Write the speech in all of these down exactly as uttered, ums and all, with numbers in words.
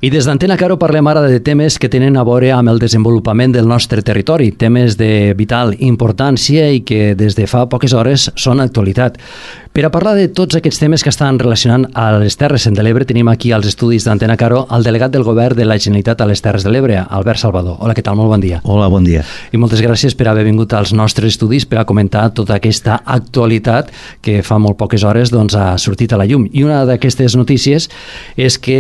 I des d'Antena Caro parlem ara de temes que tenen a veure amb el desenvolupament del nostre territori, temes de vital importància i que des de fa poques hores són actualitat. Per a parlar de tots aquests temes que estan relacionant a les Terres de l'Ebre, tenim aquí als estudis d'Antena Caro el delegat del Govern de la Generalitat a les Terres de l'Ebre, Albert Salvador. Hola, què tal? Molt bon dia. Hola, bon dia. I moltes gràcies per haver vingut als nostres estudis per a comentar tota aquesta actualitat que fa molt poques hores doncs, ha sortit a la llum. I una d'aquestes notícies és que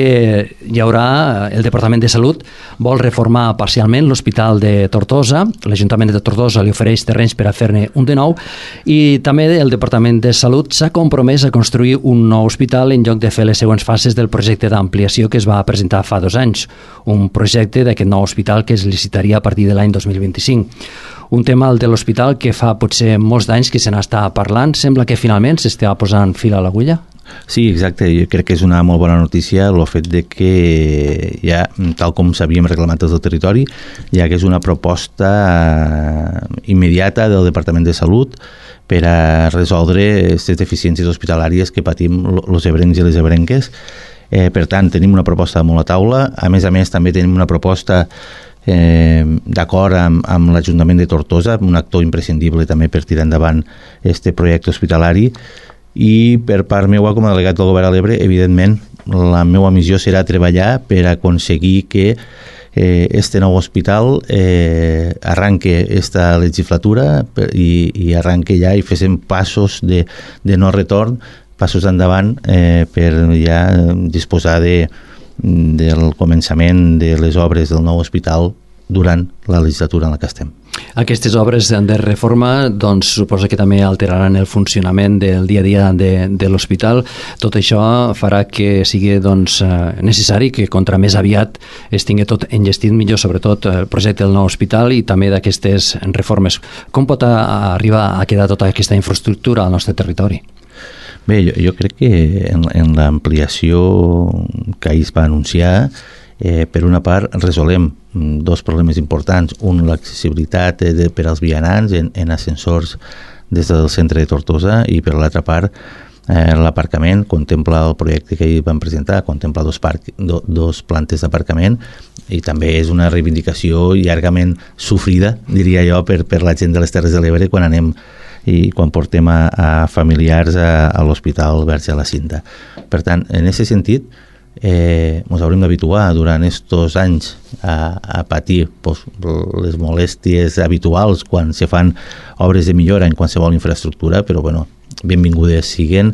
hi haurà, el Departament de Salut vol reformar parcialment l'Hospital de Tortosa, l'Ajuntament de Tortosa li ofereix terrenys per a fer-ne un de nou, i també el Departament de Salut s'ha compromès a construir un nou hospital en lloc de fer les següents fases del projecte d'ampliació que es va presentar fa dos anys, un projecte d'aquest nou hospital que es licitaria a partir de l'any dos mil vint-i-cinc. Un tema, el de l'hospital, que fa potser molts d'anys que se n'està parlant. Sembla que finalment s'està posant fil a l'agulla? Sí, exacte. Jo crec que és una molt bona notícia el fet de que ja, tal com s'havíem reclamat des del territori, ja que és una proposta immediata del Departament de Salut per a resoldre aquestes deficiències hospitalàries que patim els ebrencs i les ebrenques. Eh, per tant, tenim una proposta molt a taula. A més a més, també tenim una proposta eh, d'acord amb, amb l'Ajuntament de Tortosa, un actor imprescindible també per tirar endavant aquest projecte hospitalari. I per part meva, com a delegat del Govern a l'Ebre, evidentment, la meva missió serà treballar per aconseguir que eh, este nou hospital eh, arranque esta legislatura i, i arranque ja i féssim passos de, de no retorn, passos endavant eh, per ja disposar de, del començament de les obres del nou hospital durant la legislatura en la que estem. Aquestes obres de reforma doncs, suposa que també alteraran el funcionament del dia a dia de, de l'hospital. Tot això farà que sigui doncs, necessari que contra més aviat es tingui tot enllestit millor, sobretot el projecte del nou hospital i també d'aquestes reformes. Com pot arribar a quedar tota aquesta infraestructura al nostre territori? Bé, jo, jo crec que en, en l'ampliació que ahir es va anunciar, Eh, per una part, resolem dos problemes importants. Un, l'accessibilitat de, per als vianants en, en ascensors des del centre de Tortosa, i per l'altra part, eh, l'aparcament. Contempla el projecte que ahir vam presentar, contempla dos, parc, do, dos plantes d'aparcament, i també és una reivindicació llargament sofrida, diria jo, per, per la gent de les Terres de l'Ebre quan anem i quan portem a, a familiars a, a l'Hospital Verge de la Cinta. Per tant, en aquest sentit, Eh, ens haurem d'habituar durant aquests anys a, a patir pues, les molèsties habituals quan se fan obres de millora en qualsevol infraestructura, però bueno, benvingudes siguen.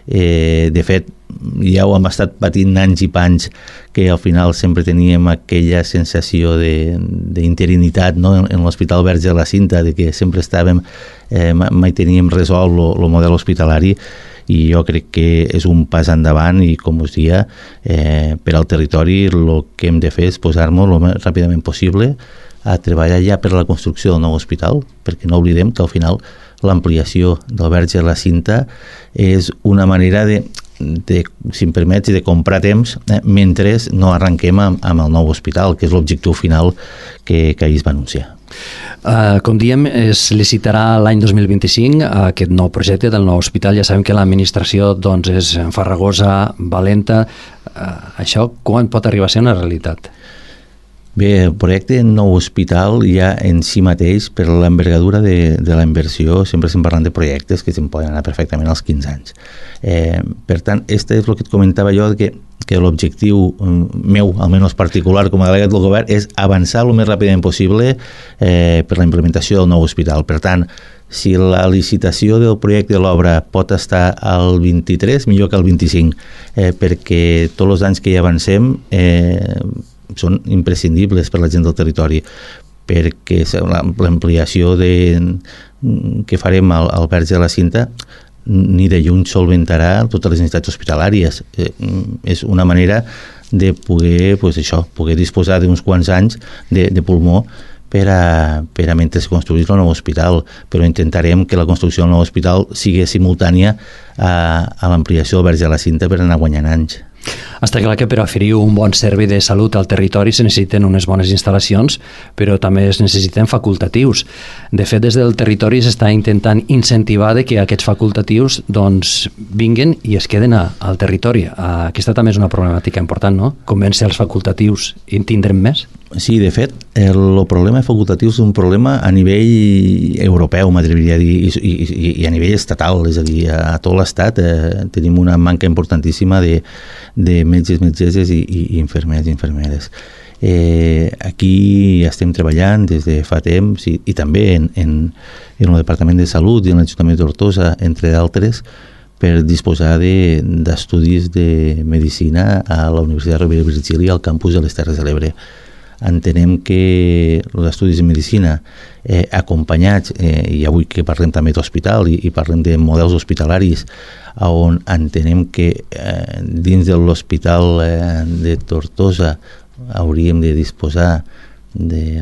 Eh, de fet, ja ho hem estat patint anys i panys, que al final sempre teníem aquella sensació d'interinitat, no? en, en l'Hospital Verge de la Cinta, de que sempre estàvem, eh, mai teníem resolt el model hospitalari, i jo crec que és un pas endavant i, com us dia, eh, per al territori el que hem de fer és posar-nos el més ràpidament possible a treballar ja per la construcció del nou hospital, perquè no oblidem que al final l'ampliació del Verge de la Cinta és una manera de, de si em permets, de comprar temps eh, mentre no arrenquem amb, amb el nou hospital, que és l'objectiu final que, que ahir es va anunciar. Uh, com diem, es licitarà l'any dos mil vint-i-cinc aquest nou projecte del nou hospital. Ja sabem que l'administració doncs, és farragosa, valenta. Uh, això quan pot arribar a ser una realitat? Bé, el projecte nou hospital ja en si mateix, per l'envergadura de, de la inversió, sempre estem parlant de projectes que se'n poden anar perfectament als quinze anys. Eh, per tant, este és el que et comentava jo, que, que l'objectiu meu, almenys particular com a delegat del govern, és avançar el més ràpidament possible eh, per la implementació del nou hospital. Per tant, si la licitació del projecte de l'obra pot estar al vint-i-tres, millor que al vint-i-cinc, eh, perquè tots els anys que hi avancem eh, són imprescindibles per la gent del territori, perquè l'ampliació de, que farem al, al Verge de la Cinta ni de lluny solventarà totes les necessitats hospitalàries. Eh, és una manera de poder, pues això, poder disposar d'uns quants anys de, de pulmó per a, per a mentre es construís el nou hospital, però intentarem que la construcció del nou hospital sigui simultània a, a l'ampliació del Verge de la Cinta per anar guanyant anys. Està clar que per oferir un bon servei de salut al territori se necessiten unes bones instal·lacions, però també es necessiten facultatius. De fet, des del territori s'està intentant incentivar de que aquests facultatius doncs, vinguen i es queden a, al territori. Aquesta també és una problemàtica important, no? Convèncer els facultatius i en tindrem més? Sí, de fet, el, el problema facultatiu és un problema a nivell europeu, m'atreviria a dir, i, i, i a nivell estatal, és a dir, a, a tot l'estat eh, tenim una manca importantíssima de, de metges, metgesses i, i, i infermers i infermeres. Eh, aquí estem treballant des de fa temps i, i també en, en, en el Departament de Salut i en l'Ajuntament de Tortosa, entre d'altres, per disposar d'estudis de, de medicina a la Universitat Rovira i Virgili al campus de les Terres de l'Ebre. Entenem que els estudis de medicina eh, acompanyats, eh, i avui que parlem també d'hospital i, i parlem de models hospitalaris, on entenem que eh, dins de l'hospital eh, de Tortosa hauríem de disposar de,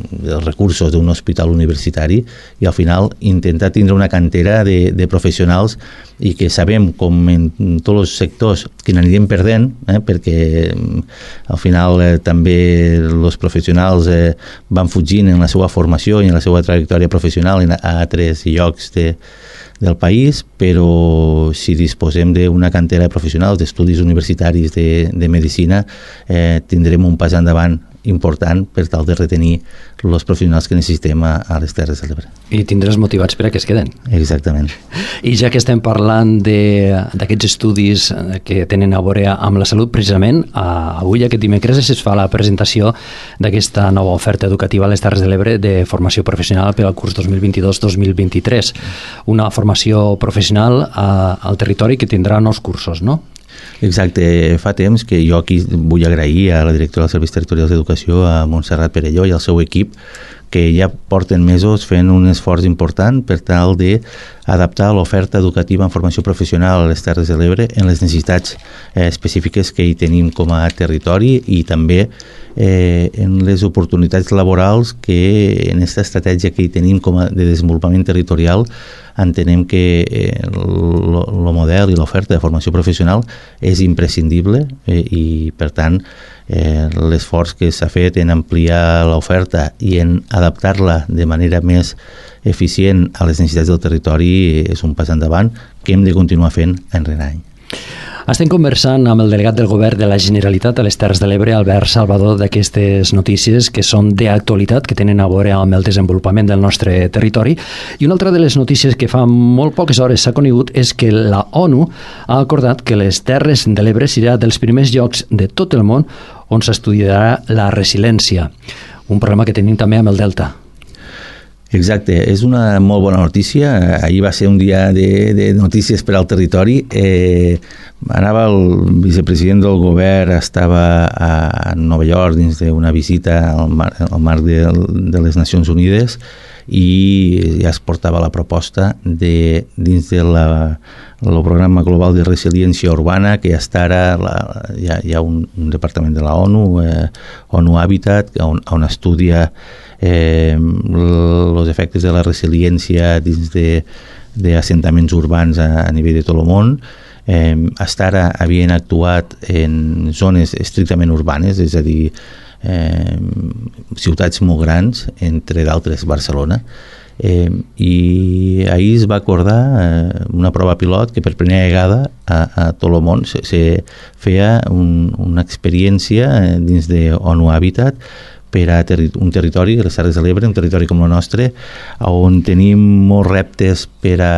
dels recursos d'un hospital universitari i al final intentar tindre una cantera de, de professionals i que sabem com en tots els sectors que n'anirem perdent, eh, perquè al final eh, també els professionals eh, van fugint en la seva formació i en la seva trajectòria professional en, a altres llocs de, del país, però si disposem d'una cantera de professionals d'estudis universitaris de, de medicina eh, tindrem un pas endavant important per tal de retenir els professionals que necessitem a, a les Terres de l'Ebre. I tindràs motivats per a que es queden. Exactament. I ja que estem parlant d'aquests estudis que tenen a veure amb la salut, precisament, a, avui, aquest dimecres, es fa la presentació d'aquesta nova oferta educativa a les Terres de l'Ebre de formació professional per al curs dos mil vint-i-dos dos mil vint-i-tres. Una formació professional a, al territori que tindrà nous cursos, no? Exacte, fa temps que jo aquí vull agrair a la directora dels Serveis Territorials d'Educació, a Montserrat Perelló i al seu equip, que ja porten mesos fent un esforç important per tal d'adaptar l'oferta educativa en formació professional a les Terres de l'Ebre en les necessitats eh, específiques que hi tenim com a territori i també eh, en les oportunitats laborals que en aquesta estratègia que hi tenim com a de desenvolupament territorial entenem que el model i l'oferta de formació professional és imprescindible eh, i per tant eh, l'esforç que s'ha fet en ampliar l'oferta i en adaptar-la de manera més eficient a les necessitats del territori és un pas endavant que hem de continuar fent any rere any. Estem conversant amb el delegat del Govern de la Generalitat a les Terres de l'Ebre, Albert Salvador, d'aquestes notícies que són d'actualitat, que tenen a veure amb el desenvolupament del nostre territori. I una altra de les notícies que fa molt poques hores s'ha conegut és que la ONU ha acordat que les Terres de l'Ebre serà dels primers llocs de tot el món on s'estudiarà la resiliència, un problema que tenim també amb el Delta. Exacte, és una molt bona notícia. Ahir va ser un dia de, de notícies per al territori. Eh, anava el vicepresident del govern, estava a Nova York dins d'una visita al marc, al marc de, de les Nacions Unides i ja es portava la proposta de, dins de la el programa global de resiliència urbana, que ja està ara, la, hi, ha, hi ha un, un departament de la ONU, eh, ONU Habitat, on, on estudia eh, els efectes de la resiliència dins d'assentaments urbans a, a nivell de tot el món. Eh, hasta ara havien actuat en zones estrictament urbanes, és a dir, eh, ciutats molt grans, entre d'altres Barcelona, Eh, i ahir es va acordar eh, una prova pilot que per primera vegada a, a tot el món se, se feia un, una experiència eh, dins de ONU Habitat per a terri un territori, les Terres de l'Ebre, un territori com el nostre, on tenim molts reptes per a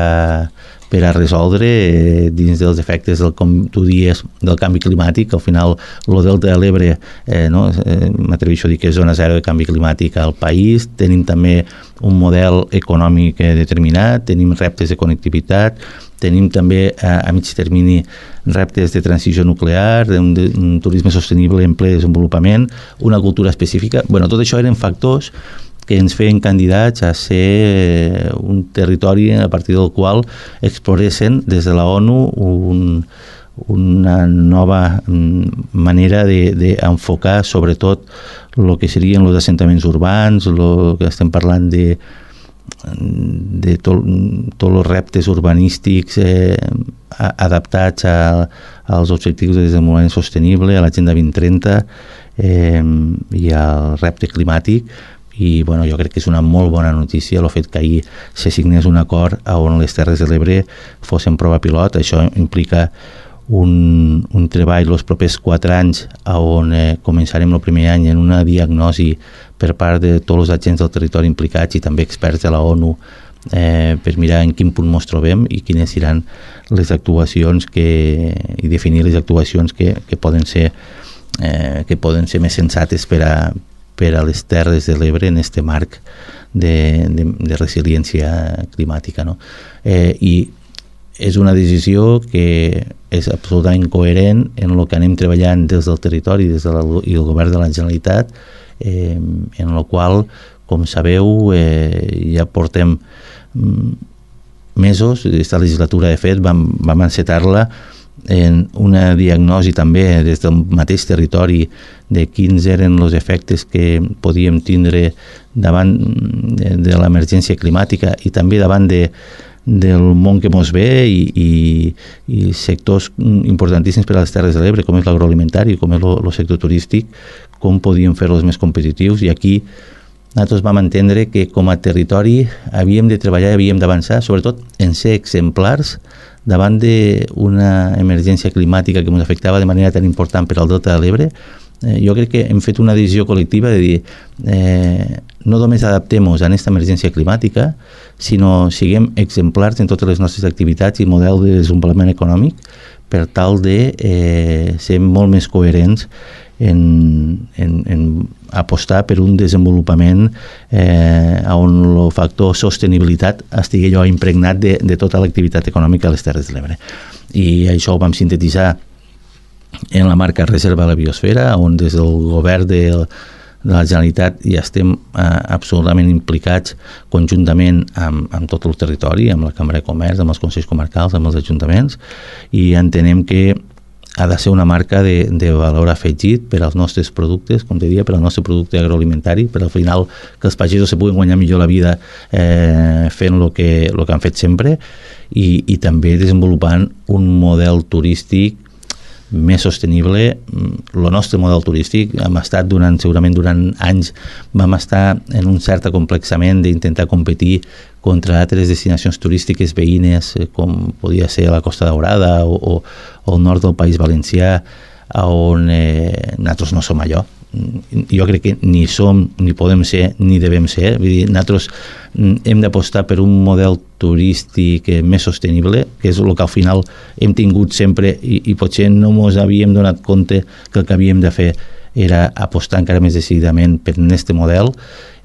per a resoldre eh, dins dels efectes del, com tu dies, del canvi climàtic. Al final el Delta de l'Ebre eh, no, eh, m'atreveixo a dir que és zona zero de canvi climàtic al país. Tenim també un model econòmic eh, determinat, tenim reptes de connectivitat, tenim també a, a mig termini reptes de transició nuclear, un, de, un turisme sostenible en ple desenvolupament, una cultura específica. Bueno, tot això eren factors que ens feien candidats a ser un territori a partir del qual exploressin des de la ONU un, una nova manera d'enfocar de, sobretot el que serien els assentaments urbans, el que estem parlant de de tots tot els reptes urbanístics eh, adaptats a, als objectius de desenvolupament sostenible, a l'Agenda vint trenta eh, i al repte climàtic. I bueno, jo crec que és una molt bona notícia el fet que ahir se signés un acord on les Terres de l'Ebre fossin prova pilot. Això implica un, un treball els propers quatre anys on eh, començarem el primer any en una diagnosi per part de tots els agents del territori implicats i també experts de la ONU eh, per mirar en quin punt ens trobem i quines seran les actuacions que, i definir les actuacions que, que, poden ser, eh, que poden ser més sensates per a per a les Terres de l'Ebre en este marc de, de, de resiliència climàtica. No? Eh, I és una decisió que és absolutament coherent en el que anem treballant des del territori des de la, i el govern de la Generalitat, eh, en el qual, com sabeu, eh, ja portem mesos, aquesta legislatura de fet vam, vam encetar-la en una diagnosi també des del mateix territori de quins eren els efectes que podíem tindre davant de, de l'emergència climàtica i també davant de, del món que mos ve i, i, i sectors importantíssims per a les Terres de l'Ebre, com és l'agroalimentari, com és el sector turístic, com podíem fer-los més competitius. I aquí nosaltres vam entendre que com a territori havíem de treballar i havíem d'avançar, sobretot en ser exemplars davant d'una emergència climàtica que ens afectava de manera tan important per al Delta de l'Ebre. Eh, jo crec que hem fet una decisió col·lectiva de dir eh, no només adaptem-nos a aquesta emergència climàtica, sinó siguem exemplars en totes les nostres activitats i model de desenvolupament econòmic per tal de eh, ser molt més coherents en, en, en apostar per un desenvolupament eh, on el factor sostenibilitat estigui allò impregnat de, de tota l'activitat econòmica a les Terres de l'Ebre. I això ho vam sintetitzar en la marca Reserva de la Biosfera, on des del govern de, de la Generalitat ja estem eh, absolutament implicats conjuntament amb, amb tot el territori, amb la Cambra de Comerç, amb els consells comarcals, amb els ajuntaments, i entenem que ha de ser una marca de, de valor afegit per als nostres productes, com te deia, per al nostre producte agroalimentari, per al final que els pagesos se puguin guanyar millor la vida eh, fent el que, el que han fet sempre i, i també desenvolupant un model turístic més sostenible. El nostre model turístic hem estat durant, segurament durant anys, vam estar en un cert acomplexament d'intentar competir contra altres destinacions turístiques veïnes, com podia ser la Costa Daurada o, o, o el nord del País Valencià, on eh, nosaltres no som allò. Jo crec que ni som, ni podem ser, ni devem ser. Vull dir, nosaltres hem d'apostar per un model turístic més sostenible, que és el que al final hem tingut sempre i, i potser no ens havíem donat compte que el que havíem de fer era apostar encara més decididament per aquest model,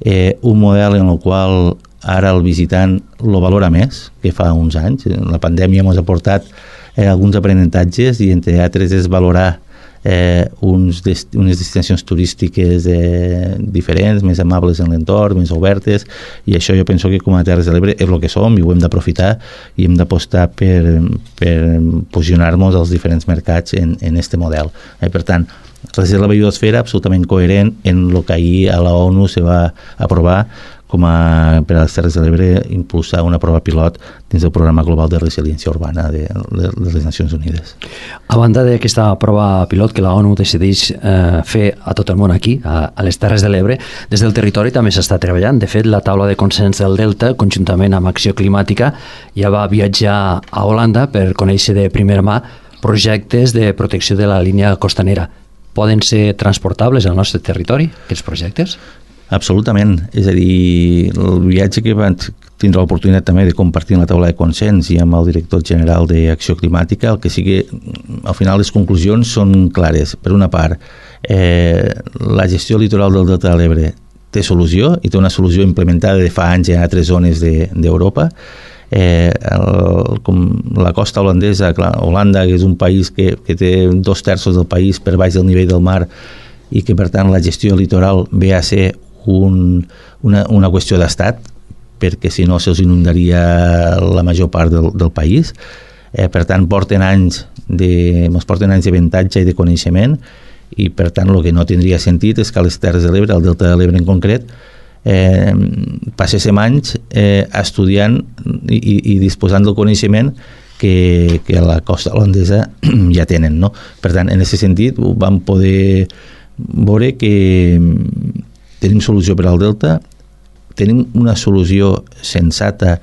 eh, un model en el qual ara el visitant lo valora més que fa uns anys. La pandèmia ens ha portat eh, alguns aprenentatges i entre altres és valorar eh, uns dest unes destinacions turístiques eh, diferents, més amables en l'entorn, més obertes, i això jo penso que com a Terres de l'Ebre és el que som i ho hem d'aprofitar i hem d'apostar per, per posicionar-nos als diferents mercats en, en este model. Eh, per tant, Reserva de la Biosfera absolutament coherent en el que ahir a la ONU se va aprovar com a, per a les Terres de l'Ebre, impulsar una prova pilot dins del Programa Global de Resiliència Urbana de, de, de les Nacions Unides. A banda d'aquesta prova pilot que la ONU decideix eh, fer a tot el món aquí, a, a les Terres de l'Ebre, des del territori també s'està treballant. De fet, la taula de consens del Delta, conjuntament amb Acció Climàtica, ja va viatjar a Holanda per conèixer de primera mà projectes de protecció de la línia costanera. Poden ser transportables al nostre territori, aquests projectes? Absolutament. És a dir, el viatge que van tindre l'oportunitat també de compartir en la taula de consens i amb el director general d'Acció Climàtica, el que sí que al final les conclusions són clares. Per una part, eh, la gestió litoral del Delta de l'Ebre té solució i té una solució implementada de fa anys en altres zones d'Europa. Eh, el, com la costa holandesa, clar, Holanda, que és un país que, que té dos terços del país per baix del nivell del mar i que per tant la gestió litoral ve a ser un, una, una qüestió d'estat, perquè si no se'ls inundaria la major part del, del país. Eh, per tant, porten anys de, ens porten anys d'avantatge i de coneixement i per tant el que no tindria sentit és que a les Terres de l'Ebre, al Delta de l'Ebre en concret, eh, passéssim anys eh, estudiant i, i disposant del coneixement que, que a la costa holandesa ja tenen, no? Per tant, en aquest sentit vam poder veure que tenim solució per al Delta, tenim una solució sensata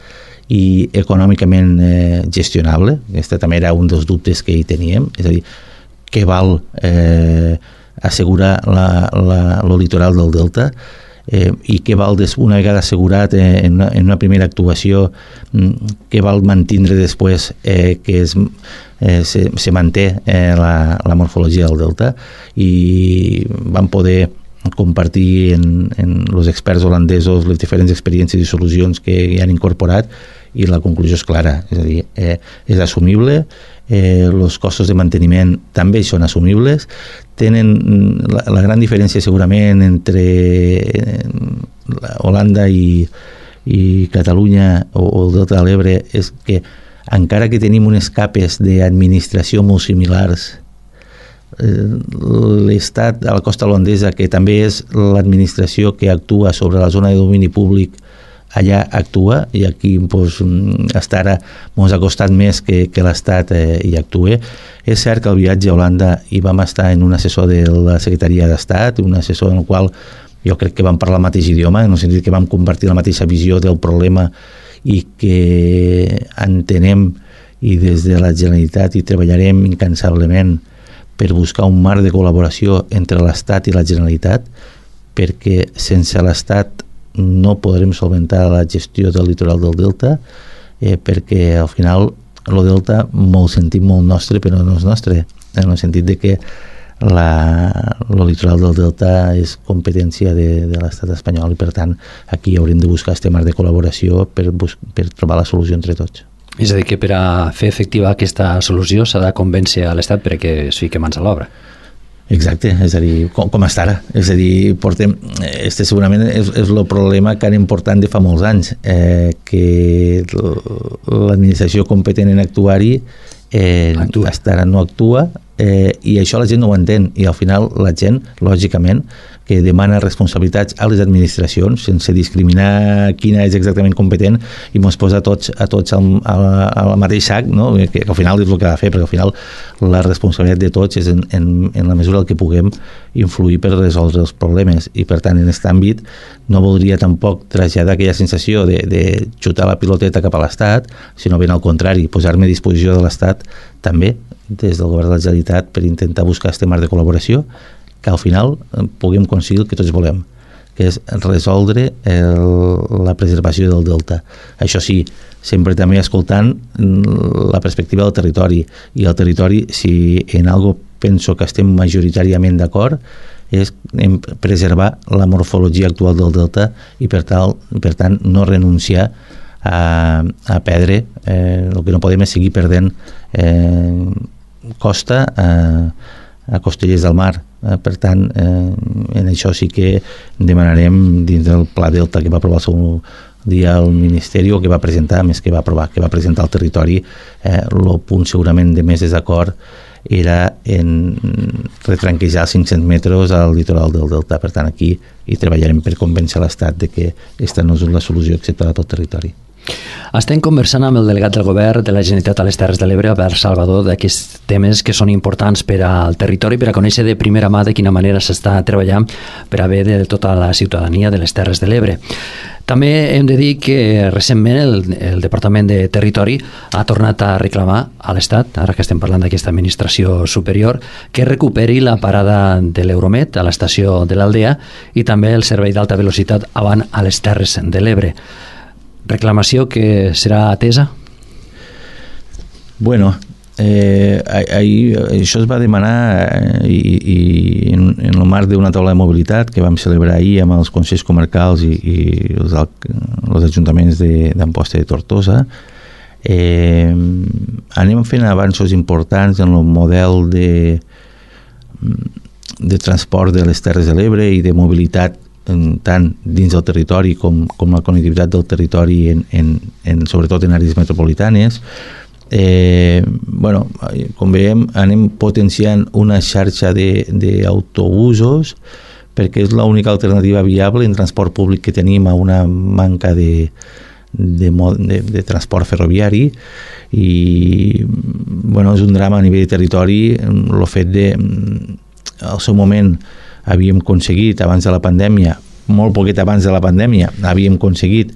i econòmicament eh, gestionable. Aquest també era un dels dubtes que hi teníem, és a dir, què val eh, assegurar la, la, el litoral del Delta eh, i què val, des, una vegada assegurat eh, en, una, en una primera actuació, què val mantindre després eh, que es, eh, se, se manté eh, la, la morfologia del Delta, i vam poder compartir en, en els experts holandesos les diferents experiències i solucions que hi han incorporat, i la conclusió és clara, és a dir, eh, és assumible, eh, els costos de manteniment també són assumibles, tenen la, la gran diferència segurament entre Holanda i, i Catalunya o, o el Delta de l'Ebre és que encara que tenim unes capes d'administració molt similars, l'Estat a la costa holandesa, que també és l'administració que actua sobre la zona de domini públic, allà actua, i aquí pues, hasta ara ens ha costat més que, que l'Estat eh, hi actue. És cert que al viatge a Holanda hi vam estar en un assessor de la Secretaria d'Estat, un assessor en el qual jo crec que vam parlar el mateix idioma, en el sentit que vam compartir la mateixa visió del problema i que entenem, i des de la Generalitat hi treballarem incansablement per buscar un marc de col·laboració entre l'Estat i la Generalitat, perquè sense l'Estat no podrem solventar la gestió del litoral del Delta, eh, perquè al final el Delta molt sentim molt nostre, però no és nostre, en el sentit de que la, el litoral del Delta és competència de, de l'Estat espanyol, i per tant aquí haurem de buscar este marc de col·laboració per, per trobar la solució entre tots. És a dir, que per a fer efectiva aquesta solució s'ha de convèncer a l'Estat perquè es fiqui mans a l'obra. Exacte, és a dir, com, com està ara. És a dir, portem, este segurament és, és el problema que anem portant de fa molts anys, eh, que l'administració competent en actuar-hi eh, hasta ara no actua, eh, i això la gent no ho entén, i al final la gent, lògicament, que demana responsabilitats a les administracions sense discriminar quina és exactament competent, i mos posa a tots, a tots al, al, al mateix sac, no? que, que al final és el que ha de fer, perquè al final la responsabilitat de tots és en, en, en la mesura que puguem influir per resoldre els problemes, i per tant en aquest àmbit no voldria tampoc traslladar aquella sensació de, de xutar la piloteta cap a l'Estat, sinó ben al contrari, posar-me a disposició de l'Estat també des del govern de la Generalitat per intentar buscar este marc de col·laboració que al final puguem aconseguir el que tots volem, que és resoldre el, la preservació del Delta. Això sí, sempre també escoltant la perspectiva del territori, i el territori, si en algo penso que estem majoritàriament d'acord, és en preservar la morfologia actual del Delta, i per, tal, per tant no renunciar a, a perdre, eh, el que no podem és seguir perdent eh, costa a, a Costellers del Mar. Eh, per tant, eh, en això sí que demanarem dins del Pla Delta que va aprovar el seu dia al Ministeri, o que va presentar, més que va aprovar, que va presentar al territori, eh, el punt segurament de més desacord era en retranquejar els cinc-cents metres al litoral del Delta. Per tant, aquí hi treballarem per convèncer l'Estat de que aquesta no és la solució acceptada a tot territori. Estem conversant amb el delegat del govern de la Generalitat a les Terres de l'Ebre, Albert Salvador, d'aquests temes que són importants per al territori, per a conèixer de primera mà de quina manera s'està treballant per a bé de tota la ciutadania de les Terres de l'Ebre. També hem de dir que recentment el, el Departament de Territori ha tornat a reclamar a l'Estat, ara que estem parlant d'aquesta administració superior, que recuperi la parada de l'Euromet a l'estació de l'Aldea i també el servei d'alta velocitat avant a les Terres de l'Ebre. Reclamació que serà atesa? Bueno, eh, ahir, això es va demanar eh, i, i en, en el marc d'una taula de mobilitat que vam celebrar ahir amb els consells comarcals i, i els, els ajuntaments d'Amposta de Tortosa. Eh, anem fent avanços importants en el model de, de transport de les Terres de l'Ebre i de mobilitat tant dins del territori com, com la connectivitat del territori en, en, en, sobretot en àrees metropolitanes. Eh, bueno, com veiem, anem potenciant una xarxa d'autobusos perquè és l'única alternativa viable en transport públic que tenim a una manca de, de, de, de transport ferroviari i bueno, és un drama a nivell de territori el fet de al seu moment havíem aconseguit abans de la pandèmia, molt poquet abans de la pandèmia havíem aconseguit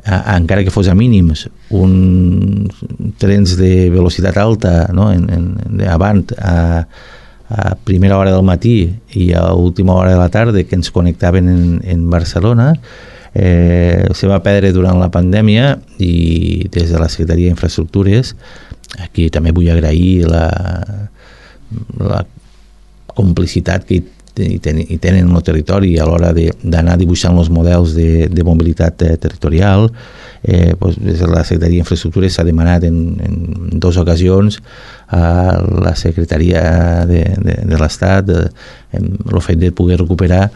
encara que fos a mínims un trens de velocitat alta, no? en, en, de avant a, a primera hora del matí i a última hora de la tarda que ens connectaven en, en Barcelona. Eh, se va perdre durant la pandèmia i des de la Secretaria d'Infraestructures aquí també vull agrair la, la complicitat que hi tenen, hi tenen en el territori a l'hora d'anar dibuixant els models de, de mobilitat eh, territorial. Eh, doncs, des de la Secretaria d'Infraestructures s'ha demanat en, en dues ocasions a la Secretaria de, de, de l'Estat el fet de poder recuperar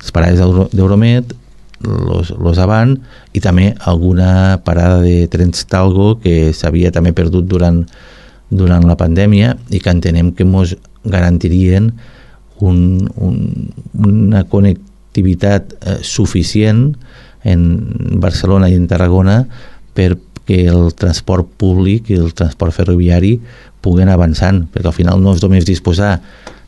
les parades d'Euromed, los, los avant i també alguna parada de trens Talgo que s'havia també perdut durant, durant la pandèmia i que entenem que ens garantirien un, un, una connectivitat eh, suficient en Barcelona i en Tarragona perquè el transport públic i el transport ferroviari puguen avançant, perquè al final no és només disposar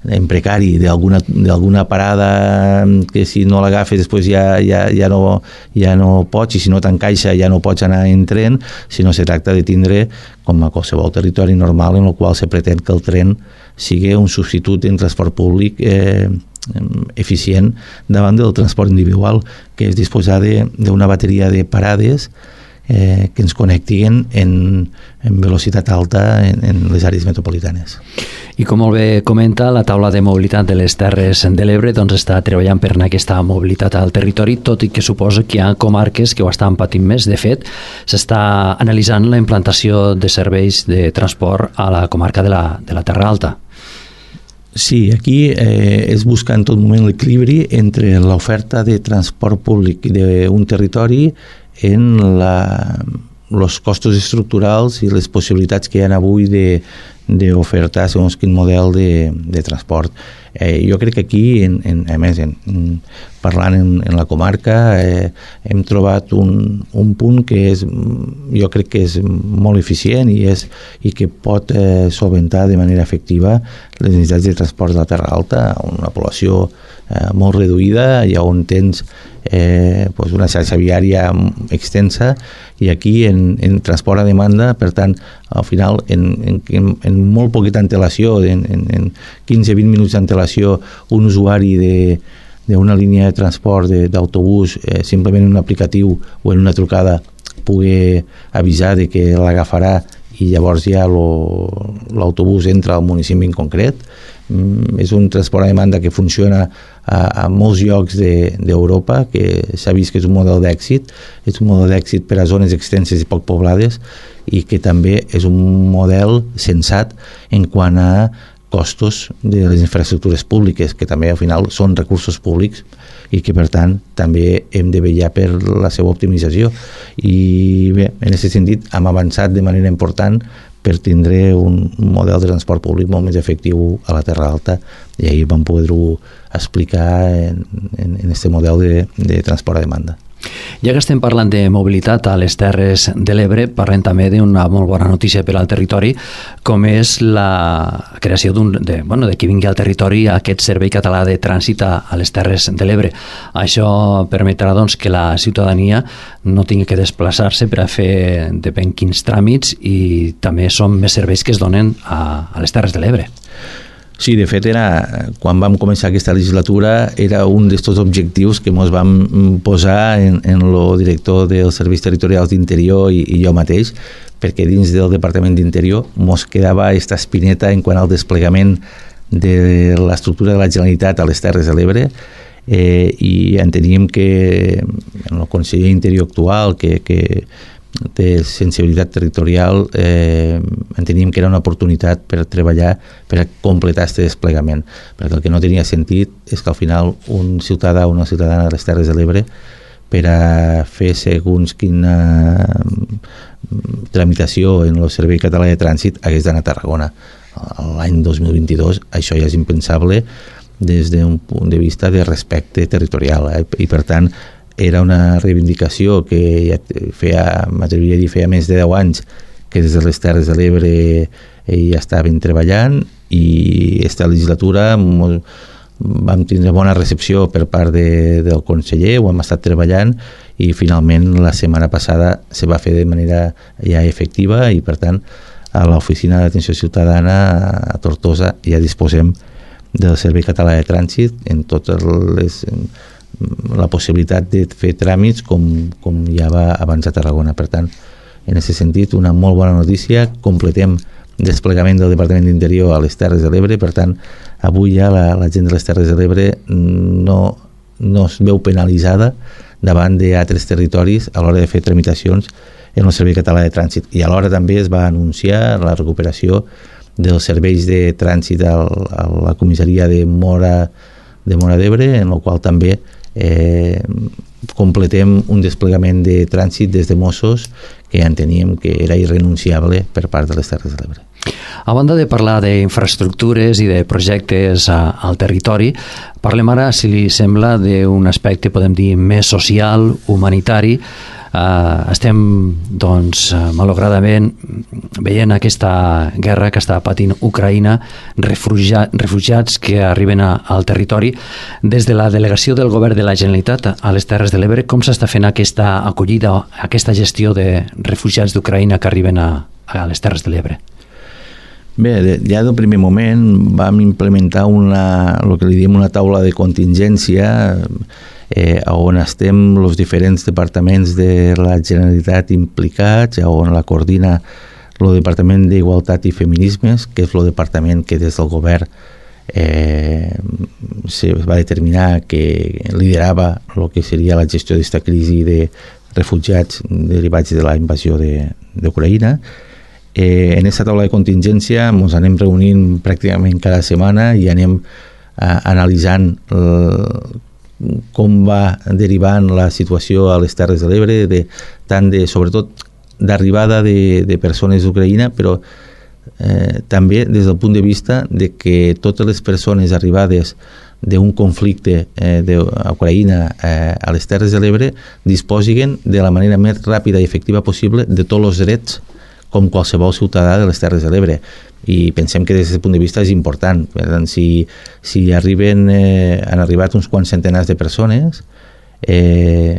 en precari d'alguna parada que si no l'agafes després ja, ja, ja, no, ja no pots i si no t'encaixa ja no pots anar en tren, sinó se tracta de tindre com a qualsevol territori normal en el qual se pretén que el tren sigui un substitut en transport públic eh, eficient davant del transport individual, que és disposar d'una bateria de parades eh, que ens connectin en, en velocitat alta en, en les àrees metropolitanes. I com molt bé comenta, la taula de mobilitat de les Terres de l'Ebre doncs, està treballant per aquesta mobilitat al territori, tot i que suposa que hi ha comarques que ho estan patint més. De fet, s'està analitzant la implantació de serveis de transport a la comarca de la, de la Terra Alta. Sí, aquí eh, és buscar en tot moment l'equilibri entre l'oferta de transport públic d'un territori en la, els costos estructurals i les possibilitats que hi ha avui de d'ofertar segons quin model de, de transport. Eh, jo crec que aquí, en, en, a més, en, parlant en, en la comarca, eh, hem trobat un, un punt que és, jo crec que és molt eficient i, és, i que pot eh, solventar de manera efectiva les necessitats de transport de la Terra Alta, una població eh, molt reduïda i on tens eh, pues una xarxa viària extensa i aquí en, en transport a demanda, per tant, al final, en, en, en molt poqueta antelació, en, en, en quinze a vint minuts d'antelació, un usuari d'una línia de transport d'autobús, eh, simplement en un aplicatiu o en una trucada, pugui avisar de que l'agafarà i llavors ja l'autobús entra al municipi en concret. Mm, és un transport a demanda que funciona a, a molts llocs d'Europa, de, que s'ha vist que és un model d'èxit, és un model d'èxit per a zones extenses i poc poblades i que també és un model sensat en quant a costos de les infraestructures públiques, que també al final són recursos públics i que per tant també hem de vetllar per la seva optimització. I bé, en aquest sentit hem avançat de manera important per tindre un model de transport públic molt més efectiu a la Terra Alta i ahir vam poder-ho explicar en, en, en este model de, de transport a demanda. Ja que estem parlant de mobilitat a les Terres de l'Ebre, parlem també d'una molt bona notícia per al territori, com és la creació d'un, de, bueno, de que vingui al territori aquest Servei Català de Trànsit a, a les Terres de l'Ebre. Això permetrà doncs, que la ciutadania no tingui que desplaçar-se per a fer depèn quins tràmits i també són més serveis que es donen a, a les Terres de l'Ebre. Sí, de fet, era, quan vam començar aquesta legislatura, era un d'aquests objectius que ens vam posar en, en el director dels Serveis Territorials d'Interior i, i jo mateix, perquè dins del Departament d'Interior ens quedava aquesta espineta en quant al desplegament de l'estructura de la Generalitat a les Terres de l'Ebre, eh, i enteníem que el conseller d'Interior actual, que, que de sensibilitat territorial, eh, enteníem que era una oportunitat per treballar per a completar aquest desplegament, perquè el que no tenia sentit és que al final un ciutadà o una ciutadana de les Terres de l'Ebre per a fer segons quina tramitació en el Servei Català de Trànsit hagués d'anar a Tarragona. L'any dos mil vint-i-dos això ja és impensable des d'un punt de vista de respecte territorial, eh? I per tant era una reivindicació que ja feia, m'atreviria a dir, feia més de deu anys que des de les Terres de l'Ebre ja estaven treballant, i aquesta legislatura molt, vam tindre bona recepció per part de, del conseller, ho hem estat treballant, i finalment la setmana passada se va fer de manera ja efectiva, i per tant a l'Oficina d'Atenció Ciutadana a Tortosa ja disposem del Servei Català de Trànsit en totes les, la possibilitat de fer tràmits com, com ja va abans a Tarragona. Per tant, en aquest sentit, una molt bona notícia. Completem desplegament del Departament d'Interior a les Terres de l'Ebre. Per tant, avui ja la, la gent de les Terres de l'Ebre no, no es veu penalitzada davant d'altres territoris a l'hora de fer tramitacions en el Servei Català de Trànsit. I alhora també es va anunciar la recuperació dels serveis de trànsit al, a la comissaria de Mora de Mora d'Ebre, en el qual també eh, completem un desplegament de trànsit des de Mossos que enteníem que era irrenunciable per part de les Terres de l'Ebre. A banda de parlar d'infraestructures i de projectes a, al territori, parlem ara, si li sembla, d'un aspecte, podem dir, més social, humanitari. Uh, estem, doncs, malauradament veient aquesta guerra que està patint Ucraïna, refugia, refugiats que arriben a, al territori. Des de la delegació del govern de la Generalitat a les Terres de l'Ebre, com s'està fent aquesta acollida, aquesta gestió de refugiats d'Ucraïna que arriben a, a les Terres de l'Ebre? Bé, ja del primer moment vam implementar una, el que li diem una taula de contingència, eh, on estem els diferents departaments de la Generalitat implicats, on la coordina el Departament d'Igualtat i Feminismes, que és el departament que des del govern eh, se va determinar que liderava el que seria la gestió d'aquesta crisi de refugiats derivats de la invasió d'Ucraïna. Eh, en aquesta taula de contingència ens anem reunint pràcticament cada setmana i anem eh, analitzant eh, com va derivant la situació a les Terres de l'Ebre, de, tant de, sobretot d'arribada de, de persones d'Ucraïna, però eh, també des del punt de vista de que totes les persones arribades d'un conflicte eh, d'Ucraïna eh, a les Terres de l'Ebre disposin de la manera més ràpida i efectiva possible de tots els drets com qualsevol ciutadà de les Terres de l'Ebre. I pensem que des d'aquest punt de vista és important. Per tant, si, si arriben, eh, han arribat uns quants centenars de persones, eh,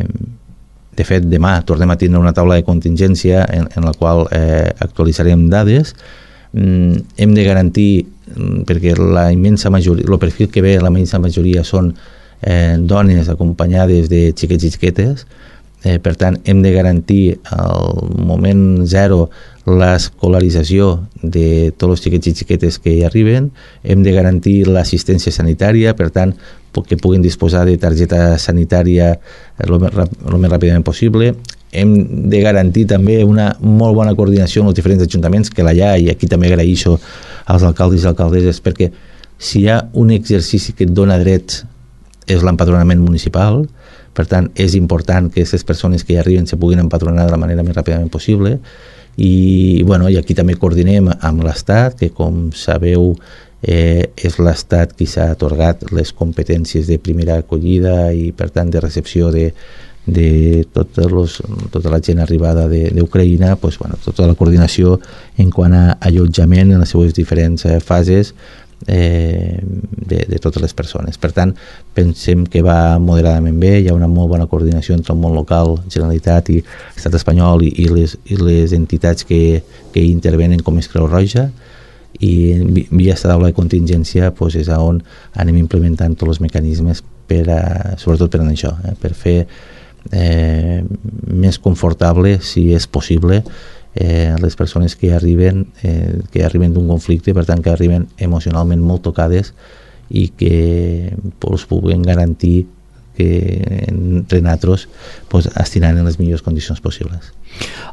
de fet, demà tornem a tindre una taula de contingència en, en la qual eh, actualitzarem dades. Mm, hem de garantir, perquè la immensa majoria, el perfil que ve, la immensa majoria són eh, dones acompanyades de xiquets i xiquetes, eh, per tant, hem de garantir al moment zero l'escolarització de tots els xiquets i xiquetes que hi arriben, hem de garantir l'assistència sanitària, per tant, que puguin disposar de targeta sanitària el més, el més ràpidament possible. Hem de garantir també una molt bona coordinació amb els diferents ajuntaments, que la hi ha, i aquí també agraeixo als alcaldes i alcaldesses, perquè si hi ha un exercici que et dona drets és l'empadronament municipal. Per tant, és important que aquestes persones que hi arriben se puguin empadronar de la manera més ràpidament possible. I, bueno, i aquí també coordinem amb l'Estat, que com sabeu eh, és l'Estat qui s'ha atorgat les competències de primera acollida i per tant de recepció de, de tots los, tota la gent arribada d'Ucraïna, pues, bueno, tota la coordinació en quant a allotjament en les seues diferents eh, fases eh, de, de totes les persones. Per tant, pensem que va moderadament bé, hi ha una molt bona coordinació entre el món local, Generalitat i Estat espanyol i, i, les, i les entitats que, que hi intervenen com és Creu Roja, i via aquesta taula de contingència pues, és on anem implementant tots els mecanismes per a, sobretot per a això, eh, per fer eh, més confortable, si és possible, Eh, les persones que arriben eh, que arriben d'un conflicte, per tant que arriben emocionalment molt tocades i que pues, puguin garantir que entre nosaltres pues, estiran en les millors condicions possibles.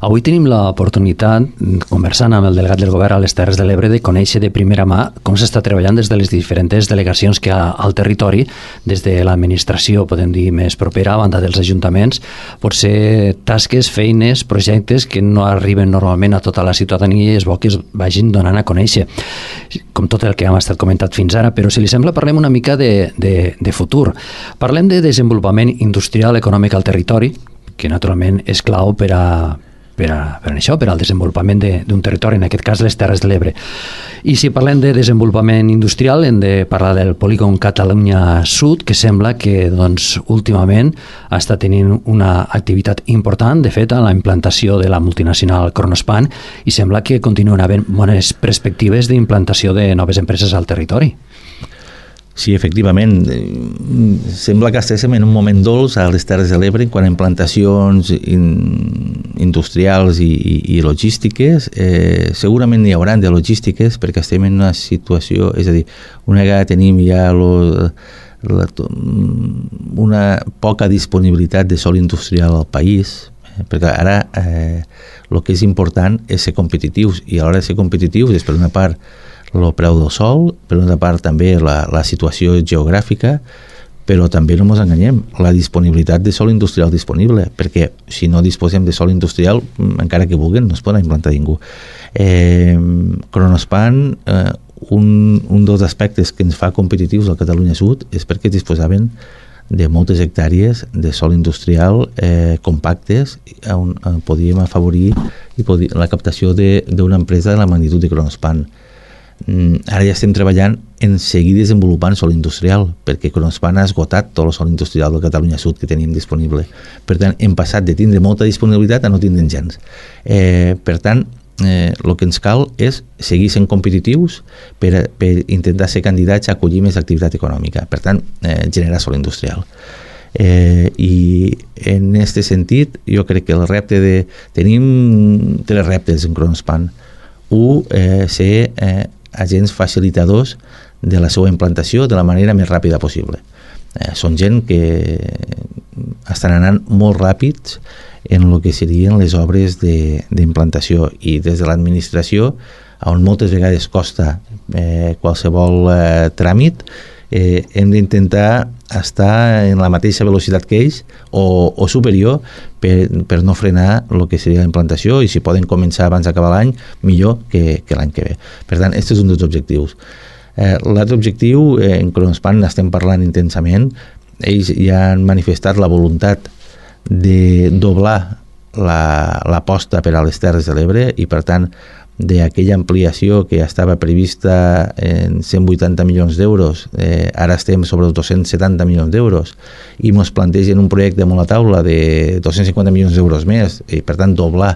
Avui tenim l'oportunitat, conversant amb el delegat del govern a les Terres de l'Ebre, de conèixer de primera mà com s'està treballant des de les diferents delegacions que hi ha al territori, des de l'administració, podem dir, més propera, a banda dels ajuntaments, potser tasques, feines, projectes que no arriben normalment a tota la ciutadania i és bo que es vagin donant a conèixer, com tot el que hem estat comentat fins ara. Però si li sembla, parlem una mica de, de, de futur. Parlem de desenvolupament industrial econòmic al territori, que naturalment és clau per a per, a, per a això, per al desenvolupament d'un de, territori, en aquest cas les Terres de l'Ebre. I si parlem de desenvolupament industrial, hem de parlar del polígon Catalunya Sud, que sembla que doncs, últimament està tenint una activitat important, de fet, a la implantació de la multinacional Kronospan, i sembla que continuen havent bones perspectives d'implantació de noves empreses al territori. Sí, efectivament. Sembla que estéssim en un moment dolç a les Terres de l'Ebre quan a implantacions in, industrials i, i, i logístiques. Eh, segurament n'hi haurà de logístiques perquè estem en una situació, és a dir, una vegada tenim ja lo, la, una poca disponibilitat de sòl industrial al país, eh, perquè ara eh, el que és important és ser competitius, i a l'hora de ser competitius és per una part el preu del sol, per una part també la, la situació geogràfica, però també no ens enganyem, la disponibilitat de sòl industrial disponible, perquè si no disposem de sòl industrial, encara que vulguin, no es pot implantar ningú. Eh, Kronospan, eh, un, un dels aspectes que ens fa competitius al Catalunya Sud és perquè disposaven de moltes hectàrees de sòl industrial eh, compactes on eh, podíem afavorir i podí, la captació d'una empresa de la magnitud de Kronospan. Ara ja estem treballant en seguir desenvolupant sòl industrial, perquè Kronospan ha esgotat tot el sòl industrial del Catalunya Sud que tenim disponible. Per tant, hem passat de tindre molta disponibilitat a no tindre gens. Eh, per tant, eh, el que ens cal és seguir sent competitius per, per intentar ser candidats a acollir més activitat econòmica. Per tant, eh, generar sòl industrial. Eh, i en aquest sentit, jo crec que el repte de... Tenim tres reptes en Kronospan. Un, eh, ser eh, agents facilitadors de la seva implantació de la manera més ràpida possible. Eh, són gent que estan anant molt ràpids en el que serien les obres d'implantació, i des de l'administració, on moltes vegades costa eh, qualsevol eh, tràmit, eh, hem d'intentar estar en la mateixa velocitat que ells o, o superior per, per no frenar el que seria la implantació, i si poden començar abans d'acabar l'any, millor que, que l'any que ve. Per tant, aquest és un dels objectius. Eh, L'altre objectiu, eh, en Kronospan estem parlant intensament, ells ja han manifestat la voluntat de doblar l'aposta per a les Terres de l'Ebre, i per tant d'aquella ampliació que estava prevista en cent vuitanta milions d'euros, eh, ara estem sobre els dos-cents setanta milions d'euros, i ens plantegen un projecte amb la taula de dos-cents cinquanta milions d'euros més, i per tant doblar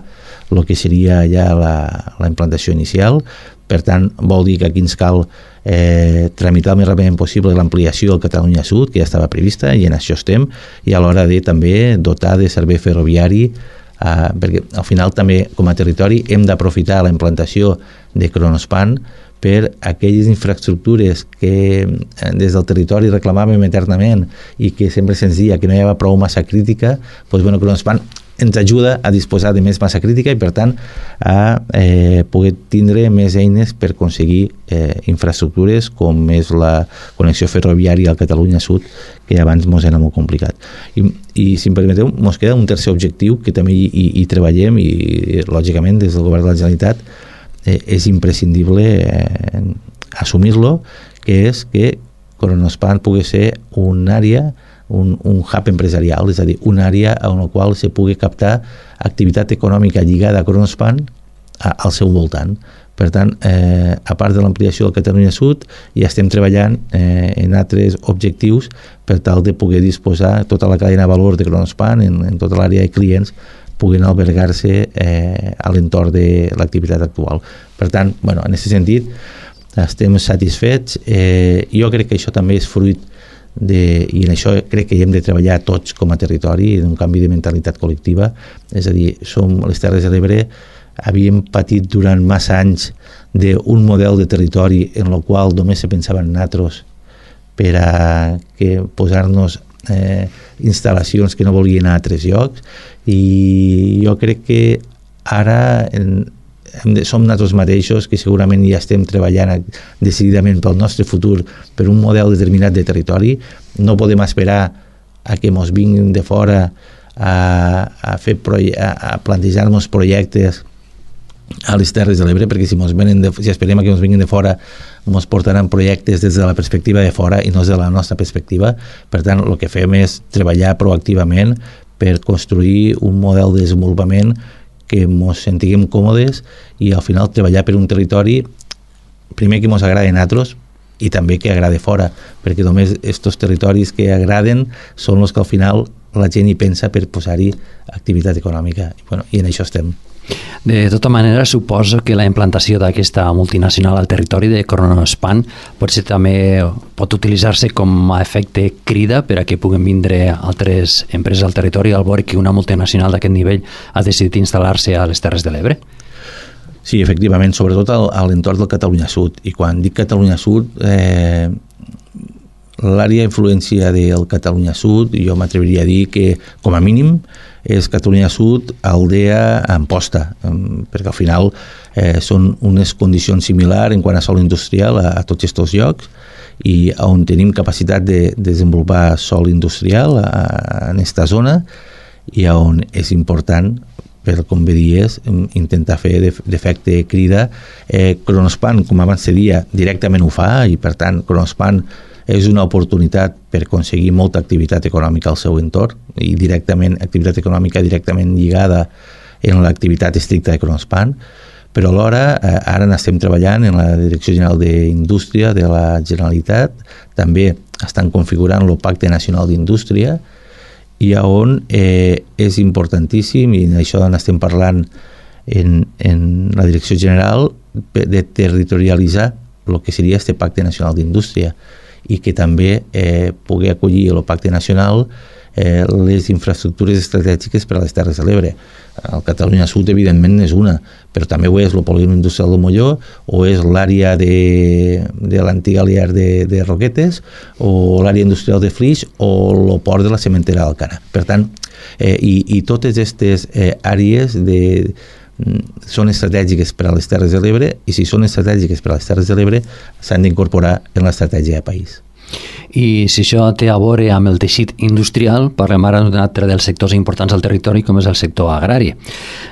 el que seria ja la, la implantació inicial. Per tant, vol dir que aquí ens cal eh, tramitar el més ràpidament possible l'ampliació del Catalunya Sud, que ja estava prevista, i en això estem, i a l'hora de també dotar de servei ferroviari, Uh, perquè al final també com a territori hem d'aprofitar la implantació de Kronospan per aquelles infraestructures que des del territori reclamàvem eternament i que sempre se'ns dia que no hi havia prou massa crítica. Doncs, bueno, Kronospan ens ajuda a disposar de més massa crítica i per tant a eh, poder tindre més eines per aconseguir eh, infraestructures com és la connexió ferroviària al Catalunya Sud, que abans ens era molt complicat. I, i si em permeteu, ens queda un tercer objectiu que també hi, hi, hi treballem, i lògicament des del govern de la Generalitat eh, és imprescindible eh, assumir-lo, que és que Kronospan pugui ser una àrea, un, un hub empresarial, és a dir, una àrea en la qual se pugui captar activitat econòmica lligada a Kronospan a, al seu voltant. Per tant, eh, a part de l'ampliació del Catalunya Sud, ja estem treballant eh, en altres objectius per tal de poder disposar tota la cadena de valor de Kronospan en, en tota l'àrea de clients puguin albergar-se eh, a l'entorn de l'activitat actual. Per tant, bueno, en aquest sentit, estem satisfets. Eh, jo crec que això també és fruit de, i en això crec que hi hem de treballar tots com a territori, en un canvi de mentalitat col·lectiva. És a dir, som les Terres de l'Ebre, havíem patit durant massa anys d'un model de territori en el qual només se pensava en nosaltres per a que posar-nos eh, instal·lacions que no volien a altres llocs, i jo crec que ara en, som nosaltres mateixos que segurament ja estem treballant decididament pel nostre futur, per un model determinat de territori. No podem esperar a que ens vinguin de fora a, a, fer a, a plantejar-nos projectes a les Terres de l'Ebre, perquè si, mos venen de, si esperem que ens vinguin de fora ens portaran projectes des de la perspectiva de fora i no des de la nostra perspectiva. Per tant, el que fem és treballar proactivament per construir un model de desenvolupament que ens sentiguem còmodes i al final treballar per un territori primer que ens agradi a nosaltres i també que agrade fora, perquè només aquests territoris que agraden són els que al final la gent hi pensa per posar-hi activitat econòmica. I, bueno, i en això estem. De tota manera, suposo que la implantació d'aquesta multinacional al territori de Kronospan potser també pot utilitzar-se com a efecte crida per a que puguen vindre altres empreses al territori al veure que una multinacional d'aquest nivell ha decidit instal·lar-se a les Terres de l'Ebre? Sí, efectivament, sobretot a l'entorn del Catalunya Sud. I quan dic Catalunya Sud, eh, l'àrea d'influència del Catalunya Sud, jo m'atreviria a dir que, com a mínim, és Catalunya Sud, Aldea, Amposta, perquè al final eh, són unes condicions similars en quant a sòl industrial a, a tots aquests llocs i on tenim capacitat de, de desenvolupar sòl industrial a, a, en aquesta zona i on és important, per com bé dies, intentar fer d'efecte crida. Eh, Kronospan, com abans se dia, directament ho fa i per tant Kronospan és una oportunitat per aconseguir molta activitat econòmica al seu entorn i directament, activitat econòmica directament lligada en l'activitat estricta de Kronospan, però alhora eh, ara n'estem treballant en la Direcció General d'Indústria de la Generalitat, també estan configurant el Pacte Nacional d'Indústria i on eh, és importantíssim, i d'això n'estem parlant en, en la Direcció General, de territorialitzar el que seria este Pacte Nacional d'Indústria i que també eh, pugui acollir el Pacte Nacional eh, les infraestructures estratègiques per a les Terres de l'Ebre. El Catalunya Sud, evidentment, és una, però també ho és el polígon industrial del Molló, o és l'àrea de, de l'antiga Aliar de, de Roquetes, o l'àrea industrial de Flix, o el port de la cementera d'Alcana. Per tant, eh, i, i totes aquestes eh, àrees de són estratègiques per a les Terres de l'Ebre i si són estratègiques per a les Terres de l'Ebre s'han d'incorporar en l'estratègia de país. I si això té a veure amb el teixit industrial, parlem ara d'un altre dels sectors importants al territori com és el sector agrari.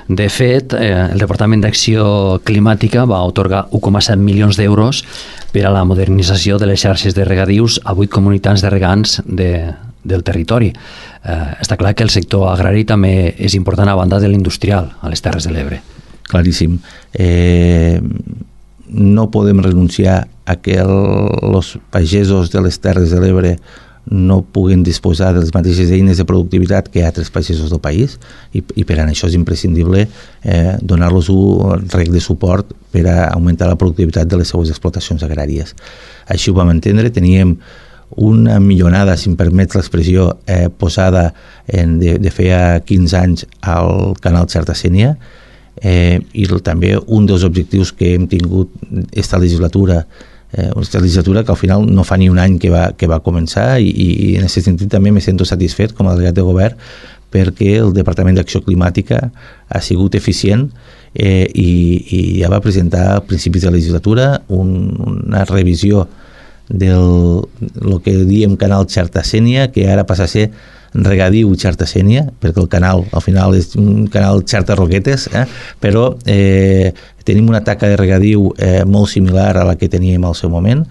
De fet, eh, el Departament d'Acció Climàtica va atorgar un coma set milions d'euros per a la modernització de les xarxes de regadius a vuit comunitats de regants de, del territori. Eh, està clar que el sector agrari també és important a banda de l'industrial a les Terres de l'Ebre. Claríssim. Eh, no podem renunciar a que els pagesos de les Terres de l'Ebre no puguen disposar de les mateixes eines de productivitat que altres pagesos del país i, i per a això és imprescindible eh, donar-los un rec de suport per a augmentar la productivitat de les seues explotacions agràries. Així ho vam entendre, teníem una millonada, si em permet l'expressió, eh, posada en, de, de feia quinze anys al canal Xerta-Sénia, eh, i també un dels objectius que hem tingut esta legislatura, eh, aquesta legislatura que al final no fa ni un any que va, que va començar i, i en aquest sentit també me sento satisfet com a delegat de govern perquè el Departament d'Acció Climàtica ha sigut eficient eh, i, i ja va presentar a principis de la legislatura un, una revisió del el que diem canal Xerta-Sénia, que ara passa a ser regadiu Xerta-Sénia, perquè el canal al final és un canal Xerta-Roquetes, eh? però eh, tenim una taca de regadiu eh, molt similar a la que teníem al seu moment.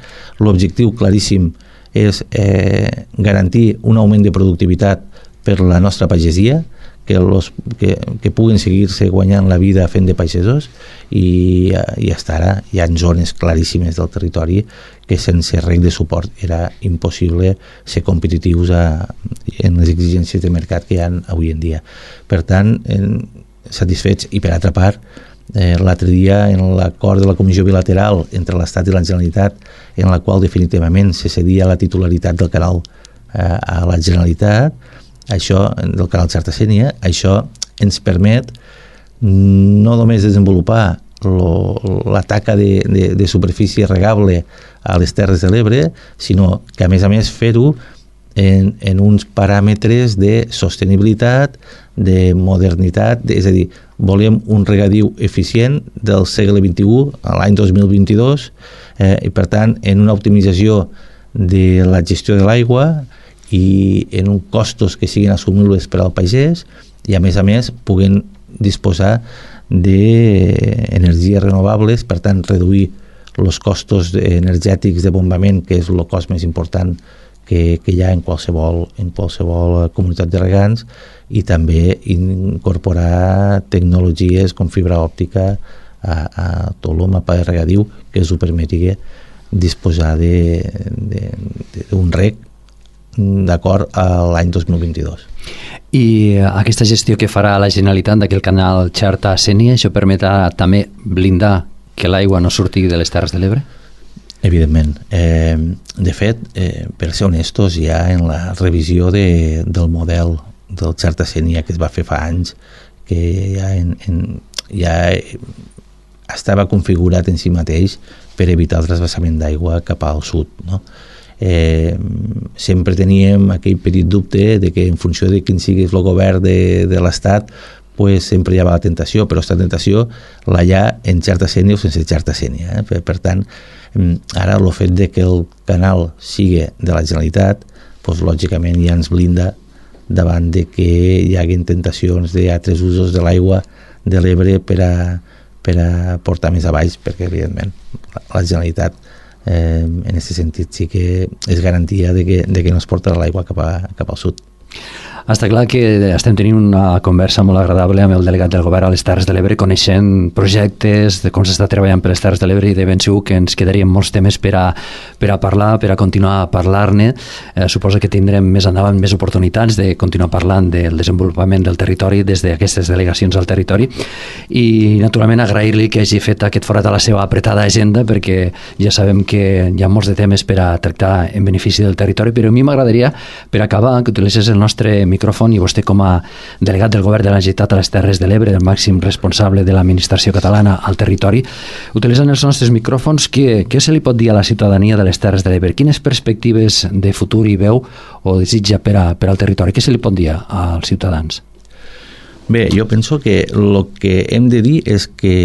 L'objectiu claríssim és eh, garantir un augment de productivitat per la nostra pagesia, que, los, que, que puguin seguir-se guanyant la vida fent de pagesos i, i hasta ara hi ha zones claríssimes del territori que sense rec de suport era impossible ser competitius a, en les exigències de mercat que hi ha avui en dia. Per tant, en, satisfets i per altra part, eh, l'altre dia en l'acord de la Comissió Bilateral entre l'Estat i la Generalitat en la qual definitivament se cedia la titularitat del canal eh, a la Generalitat, això del canal Xerta-Sénia, això ens permet no només desenvolupar lo, la taca de, de, de superfície regable a les Terres de l'Ebre, sinó que a més a més fer-ho en, en uns paràmetres de sostenibilitat, de modernitat, de, és a dir, volem un regadiu eficient del segle vint-i-u a l'any dos mil vint-i-dos eh, i per tant en una optimització de la gestió de l'aigua i en uns costos que siguin assumibles per al pagès i a més a més puguen disposar d'energies renovables, per tant reduir els costos energètics de bombament, que és el cost més important que, que hi ha en qualsevol, en qualsevol comunitat de regants, i també incorporar tecnologies com fibra òptica a, a tot el mapa de regadiu que us ho permeti disposar d'un reg d'acord a l'any dos mil vint-i-dos. I aquesta gestió que farà la Generalitat d'aquell canal Xerta-Sénia, això permetrà també blindar que l'aigua no surti de les Terres de l'Ebre? Evidentment. Eh, de fet, eh, per ser honestos, ja en la revisió de, del model del Xerta-Sénia que es va fer fa anys, que ja, en, en, ja estava configurat en si mateix per evitar el trasbassament d'aigua cap al sud, no? Eh, sempre teníem aquell petit dubte de que en funció de quin sigui el govern de, de l'Estat, pues sempre hi ha la tentació, però aquesta tentació la hi ha en Xerta-Sénia o sense Xerta-Sénia. Eh? Per, per tant, ara el fet de que el canal sigui de la Generalitat, pues, lògicament ja ens blinda davant de que hi hagin tentacions d'altres usos de l'aigua de l'Ebre per a, per a portar més a baix, perquè evidentment la Generalitat eh, en aquest sentit sí que és garantia de que, de que no es porta l'aigua cap, a, cap al sud. Està clar que estem tenint una conversa molt agradable amb el delegat del govern a les Terres de l'Ebre, coneixent projectes, de com s'està treballant per les Terres de l'Ebre, i de ben segur que ens quedarien molts temes per a, per a parlar, per a continuar a parlar-ne. Eh, suposo que tindrem més endavant més oportunitats de continuar parlant del desenvolupament del territori des d'aquestes delegacions al territori, i naturalment agrair-li que hagi fet aquest forat a la seva apretada agenda, perquè ja sabem que hi ha molts de temes per a tractar en benefici del territori, però a mi m'agradaria, per acabar, que utilitzés el nostre micròfon, i vostè com a delegat del govern de la Generalitat a les Terres de l'Ebre, el màxim responsable de l'administració catalana al territori, utilitzant els nostres micròfons, què, què se li pot dir a la ciutadania de les Terres de l'Ebre? Quines perspectives de futur hi veu o desitja per, a, per al territori? Què se li pot dir als ciutadans? Bé, jo penso que el que hem de dir és que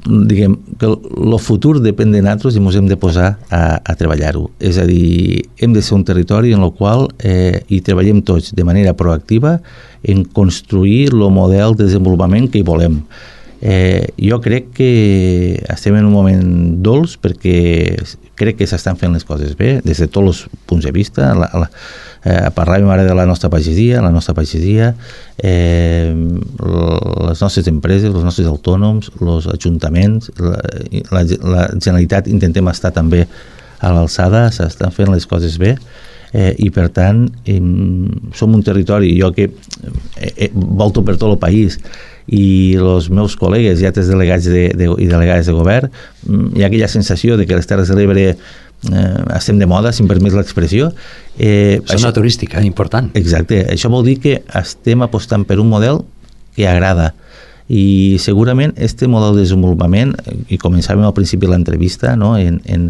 diguem que el futur depèn de nosaltres i ens hem de posar a, a treballar-ho. És a dir, hem de ser un territori en el qual eh, hi treballem tots de manera proactiva en construir el model de desenvolupament que hi volem. Eh, jo crec que estem en un moment dolç perquè crec que s'estan fent les coses bé des de tots els punts de vista. La, la, eh, parlàvem ara de la nostra pagesia, la nostra pagesia, eh, les nostres empreses, els nostres autònoms, els ajuntaments, la, la, la Generalitat intentem estar també a l'alçada, s'estan fent les coses bé. Eh, i per tant eh, som un territori, jo que eh, eh, volto per tot el país, i els meus col·legues i altres delegats de, de, i delegades de govern, hi ha aquella sensació de que les Terres de l'Ebre eh, estem de moda, si em permet l'expressió. Eh, és una turística important. Exacte, això vol dir que estem apostant per un model que agrada, i segurament este model de desenvolupament, i començàvem al principi de l'entrevista, no? en, en,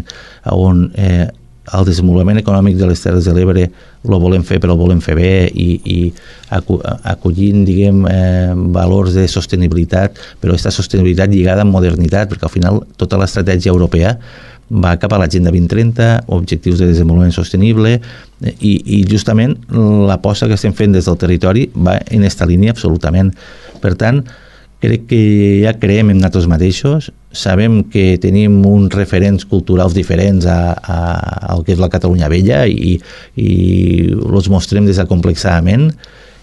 on eh, el desenvolupament econòmic de les Terres de l'Ebre el volem fer, però el volem fer bé, i, i acollint, diguem, eh, valors de sostenibilitat, però aquesta sostenibilitat lligada amb modernitat, perquè al final tota l'estratègia europea va cap a l'Agenda vint trenta, objectius de desenvolupament sostenible, i, i justament l'aposta que estem fent des del territori va en aquesta línia absolutament. Per tant, crec que ja creiem en nosaltres mateixos, sabem que tenim uns referents culturals diferents a, a, al que és la Catalunya vella, i, i els mostrem desacomplexadament.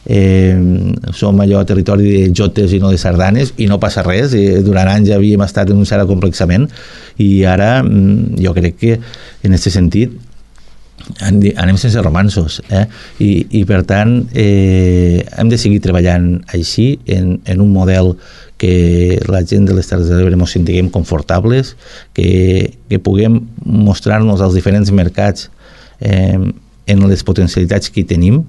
Eh, som allò a territori de jotes i no de sardanes, i no passa res. Eh, durant anys havíem estat en un cert acomplexament, i ara jo crec que en aquest sentit anem sense romansos, eh? I, i per tant eh, hem de seguir treballant així en, en un model que la gent de les Terres de l'Ebre ens sentiguem confortables, que, que puguem mostrar-nos als diferents mercats eh, en les potencialitats que hi tenim,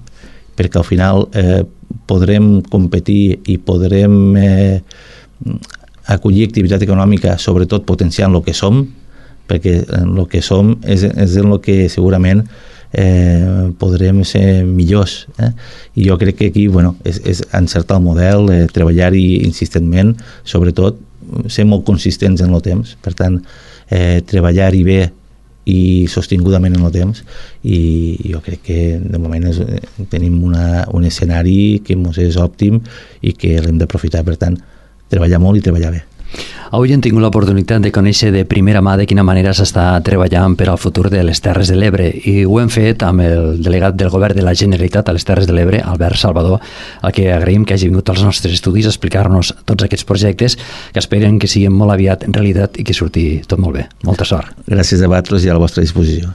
perquè al final eh, podrem competir i podrem eh, acollir activitat econòmica, sobretot potenciant el que som, perquè el que som és, és en el que segurament eh, podrem ser millors. Eh? I jo crec que aquí bueno, és, és encertar el model, eh, treballar-hi insistentment, sobretot ser molt consistents en el temps. Per tant, eh, treballar-hi bé i sostingudament en el temps, i jo crec que de moment és, tenim una, un escenari que ens és òptim i que l'hem d'aprofitar. Per tant, treballar molt i treballar bé. Avui hem tingut l'oportunitat de conèixer de primera mà de quina manera s'està treballant per al futur de les Terres de l'Ebre, i ho hem fet amb el delegat del Govern de la Generalitat a les Terres de l'Ebre, Albert Salvador, a qui agraïm que hagi vingut als nostres estudis a explicar-nos tots aquests projectes que esperen que siguin molt aviat realitat i que surti tot molt bé. Molta sort. Gràcies a vosaltres i a la vostra disposició.